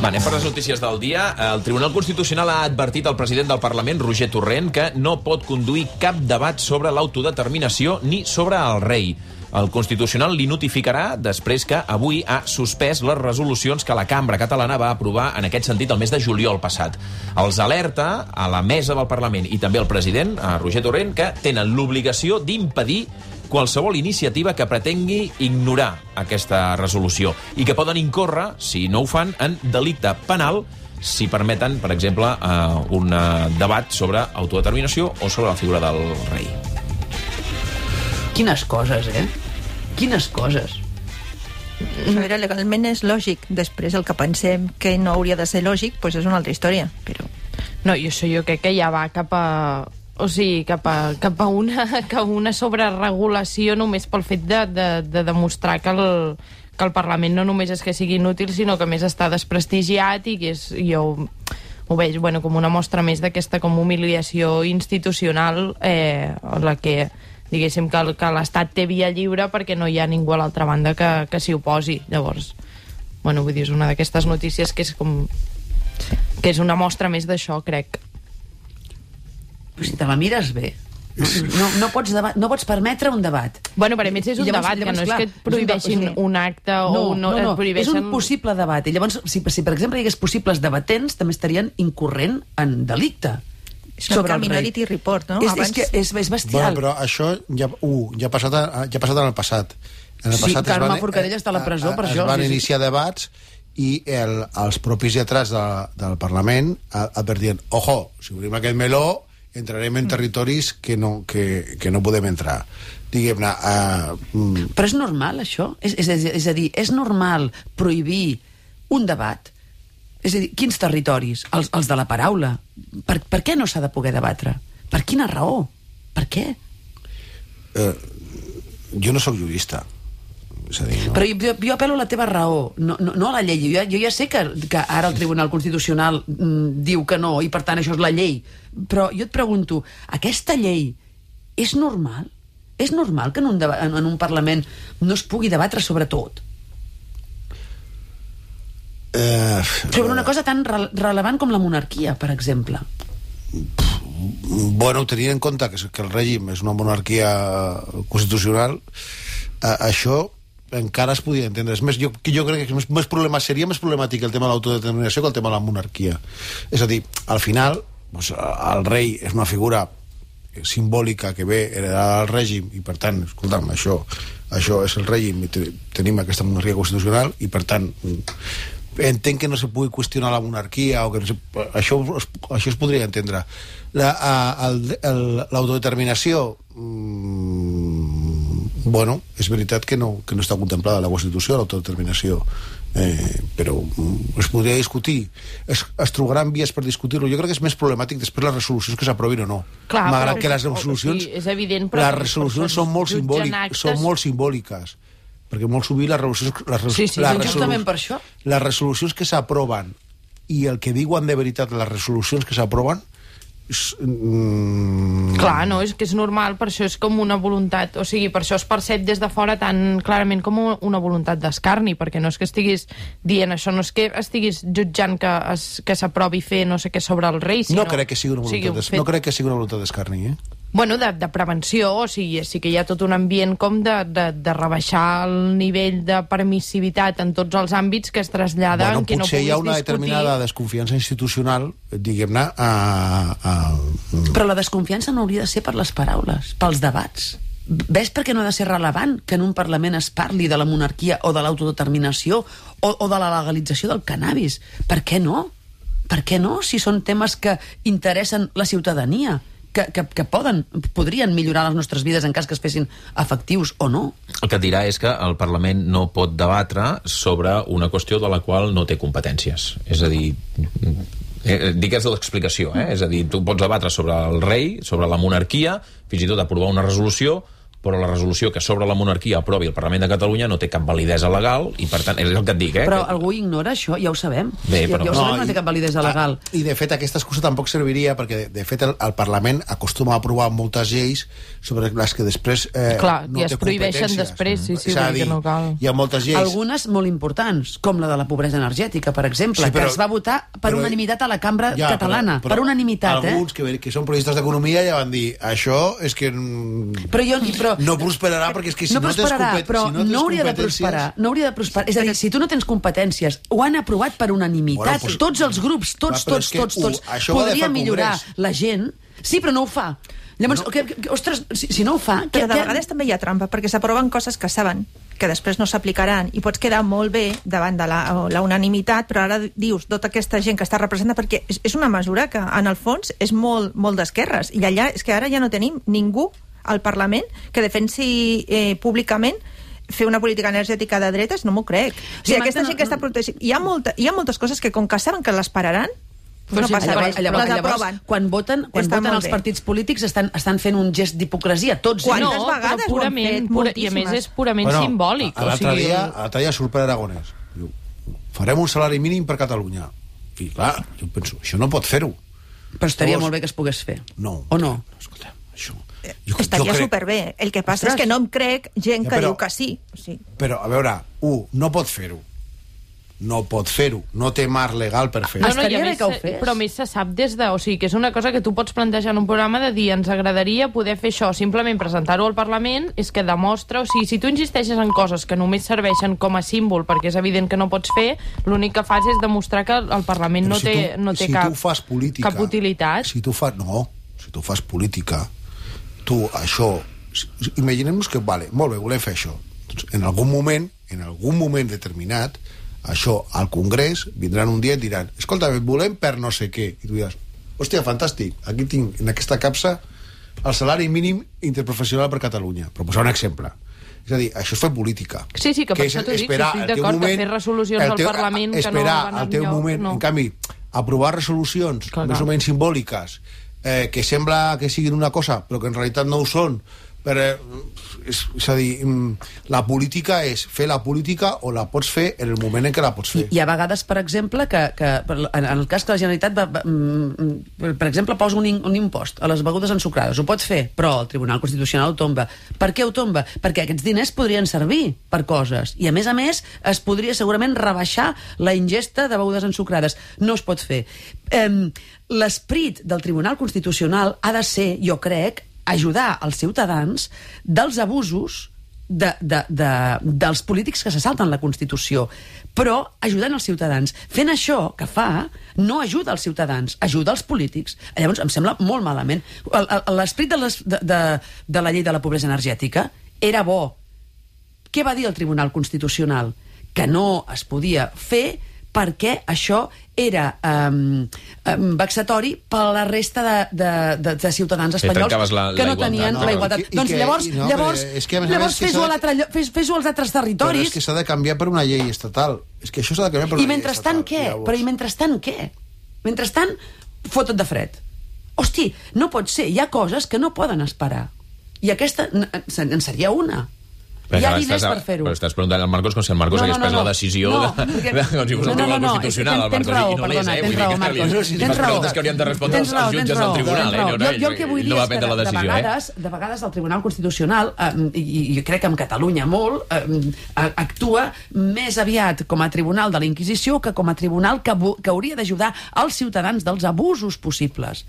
Va, anem per les notícies del dia. El Tribunal Constitucional ha advertit al president del Parlament, Roger Torrent, que no pot conduir cap debat sobre l'autodeterminació ni sobre el rei. El Constitucional li notificarà després que avui ha suspès les resolucions que la Cambra catalana va aprovar en aquest sentit el mes de juliol passat. Els alerta a la mesa del Parlament i també al president, a Roger Torrent, que tenen l'obligació d'impedir qualsevol iniciativa que pretengui ignorar aquesta resolució i que poden incórrer, si no ho fan, en delicte penal si permeten, per exemple, un debat sobre autodeterminació o sobre la figura del rei. Quines coses, Quines coses. A veure, legalment és lògic. Després el que pensem que no hauria de ser lògic, doncs és una altra història. Però... No, jo crec que ja va cap a... O sigui, cap a una sobreregulació només pel fet de demostrar que el Parlament no només és que sigui inútil, sinó que més està desprestigiat i que jo ho veig com una mostra més d'aquesta com humiliació institucional en la que diguéssim que l'Estat té via lliure perquè no hi ha ningú a l'altra banda que s'hi oposi. Llavors, vull dir, és una d'aquestes notícies que és una mostra més d'això, crec. Però si te la mires bé, no pots permetre un debat. Per a més és un debat, que no és que et prohibeixin un acte o no et prohibeixen... És un possible debat. I llavors, si per exemple hi hagués possibles debatents, també estarien incorrent en delicte. És una Minority Report, no? És bestial. Però això ja ha passat en el passat. Sí, Carme Forcadell està a la presó per això. Es van iniciar debats i els propis lletrats del Parlament advertien, ojo, si obrim aquest meló entrarem en territoris que no podem entrar. Diguem-ne... Però és normal, això? És a dir, és normal prohibir un debat? És a dir, quins territoris? Els de la paraula. Per què no s'ha de poder debatre? Per quina raó? Per què? Jo no sóc jurista. És a dir, no? Però jo apel·lo a la teva raó, no a la llei. Jo ja sé que ara el Tribunal Constitucional diu que no, i per tant això és la llei. Però jo et pregunto, aquesta llei és normal? És normal que en un Parlament no es pugui debatre sobre tot? Sobre una cosa tan rellevant com la monarquia, per exemple. Tenint en compte que el règim és una monarquia constitucional, això encara es podria entendre. És més, jo crec que seria més problemàtic el tema de l'autodeterminació que el tema de la monarquia. És a dir, al final, el rei és una figura simbòlica que ve heredada del règim i, per tant, escolta'm, això és el règim i tenim aquesta monarquia constitucional i, per tant, entenc que no se pugui qüestionar la monarquia o que això es podria entendre. L'autodeterminació és veritat que no està contemplada a la Constitució, l'autodeterminació, però es podria discutir, es trobaran vies per discutir-lo. Jo crec que és més problemàtic després les resolucions que s'aprovin o no. Clar, malgrat que les resolucions, és evident, però les resolucions són molt simbòliques, perquè molt sovint justament per això les resolucions que s'aproven i el que diuen de veritat les resolucions que s'aproven Clar, no, és que és normal, per això és com una voluntat, o sigui, per això es percep des de fora tan clarament com una voluntat d'escarni, perquè no és que estiguis dient això, no és que estiguis jutjant que s'aprovi fer no sé què sobre el rei, sinó... No crec que sigui una voluntat d'escarni, Bueno, de prevenció, o sigui, sí que hi ha tot un ambient com de rebaixar el nivell de permissivitat en tots els àmbits que es trasllada en què no puguis discutir. Potser hi ha una determinada desconfiança institucional, diguem-ne... Però la desconfiança no hauria de ser per les paraules, pels debats. Ves per què no ha de ser rellevant que en un Parlament es parli de la monarquia o de l'autodeterminació o de la legalització del cannabis? Per què no? Per què no, si són temes que interessen la ciutadania? Que podrien millorar les nostres vides en cas que es fessin efectius o no. El que et dirà és que el Parlament no pot debatre sobre una qüestió de la qual no té competències. És a dir, digues l'explicació, És a dir, tu pots debatre sobre el rei, sobre la monarquia, fins i tot aprovar una resolució, però la resolució que sobre la monarquia aprovi el Parlament de Catalunya no té cap validesa legal i, per tant, és el que et dic, Però algú ignora això, ja ho sabem. Bé, però... Ja ho sabem que no té cap validesa legal. I, de fet, aquesta excusa tampoc serviria perquè, de fet, el Parlament acostuma a aprovar moltes lleis sobre les que després Clar, no i es té prohibeixen competències. després, sí, És a dir, que no cal. hi ha moltes lleis... Algunes molt importants, com la de la pobresa energètica, per exemple, Sí, però- que es va votar per però- unanimitat a la cambra Ja, catalana. però Per unanimitat, alguns que són periodistes d'economia ja van dir això és que Però no prosperarà perquè és que si no, prosperarà, tens però si no tens no hauria de competències... prosperar. No hauria de prosperar. És a dir, si tu no tens competències, ho han aprovat per unanimitat. Bueno, doncs- Tots els grups, tots, Clar, però és que tots. això ho ha de fer Podria el millorar Congrés. la gent. Sí, però no ho fa. Llavors, ostres, si no ho fa... Però de vegades també hi ha trampa, perquè s'aproven coses que saben que després no s'aplicaran i pots quedar molt bé davant de la unanimitat, però ara dius tota aquesta gent que està representada, perquè és una mesura que en el fons és molt, molt d'esquerres, i allà és que ara ja no tenim ningú al Parlament que defensi públicament fer una política energètica de dretes, no m'ho crec. O sigui, aquesta gent que està protegint... Hi ha moltes coses que, com que saben que les pararan, no passa res, les aproven. Quan voten els partits polítics estan fent un gest d'hipocresia, tots. Quantes No, vegades però ho han purament, fet? i a més és purament simbòlic. L'altre dia surt per Aragonès. Diu, farem un salari mínim per Catalunya. I clar, jo penso, això no pot fer-ho. Però estaria molt bé que es pogués fer. No. O no? Escolta, això... Estaria superbé. El que passa és que no em crec gent que diu que sí. Però, a veure, no pot fer-ho. No pot fer-ho. No té marc legal per fer-ho. Estaria bé que ho fes. Però més se sap des de... O sigui, que és una cosa que tu pots plantejar en un programa de dir ens agradaria poder fer això, simplement presentar-ho al Parlament, és que demostra... O sigui, si tu insisteixes en coses que només serveixen com a símbol perquè és evident que no pots fer, l'únic que fas és demostrar que el Parlament no té cap utilitat. Si tu fas política, tu això... Imaginem-nos que, vale, molt bé, volem fer això. Doncs en algun moment determinat, això al Congrés vindran un dia i diran escolta, volem per no sé què, i tu diràs, hòstia, fantàstic, aquí tinc en aquesta capsa el salari mínim interprofessional per Catalunya, per posar un exemple. És a dir, això és fer política. Sí, que per això t'ho dic, estic d'acord que fer resolucions al Parlament que no van al teu moment, en canvi, aprovar resolucions més o menys simbòliques que sembla que siguin una cosa però que en realitat no ho són, és a dir, la política és fer la política o la pots fer en el moment en què la pots fer. I a vegades, per exemple, que en el cas que la Generalitat per exemple, posa un impost a les begudes ensucrades, ho pot fer, però el Tribunal Constitucional ho tomba. Per què ho tomba? Perquè aquests diners podrien servir per coses, i a més es podria segurament rebaixar la ingesta de begudes ensucrades. No es pot fer. L'esperit del Tribunal Constitucional ha de ser, jo crec, ajudar els ciutadans dels abusos dels polítics que se salten la Constitució, però ajudant els ciutadans. Fent això que fa, no ajuda els ciutadans, ajuda els polítics. Llavors, em sembla molt malament. L'esperit de la llei de la pobresa energètica era bo. Què va dir el Tribunal Constitucional? Que no es podia fer perquè això era vexatori per a la resta de ciutadans espanyols que no tenien la igualtat. Doncs llavors fes-ho als altres territoris. Però és que s'ha de canviar per una llei estatal. És que això s'ha de canviar per una llei estatal. Però i mentrestant què? Mentrestant, fota't de fred. Hosti, no pot ser. Hi ha coses que no poden esperar. I aquesta en seria una. Hi ha diners per fer-ho. Però estàs preguntant al Marcos com si el Marcos hagués pres la decisió com si fos el Tribunal Constitucional, el Marcos, i no l'és, Tens raó, Marcos. Les preguntes que haurien de respondre els jutges del Tribunal, Jo el que vull dir és que de vegades el Tribunal Constitucional, i crec que en Catalunya molt, actua més aviat com a tribunal de la Inquisició que com a tribunal que hauria d'ajudar els ciutadans dels abusos possibles.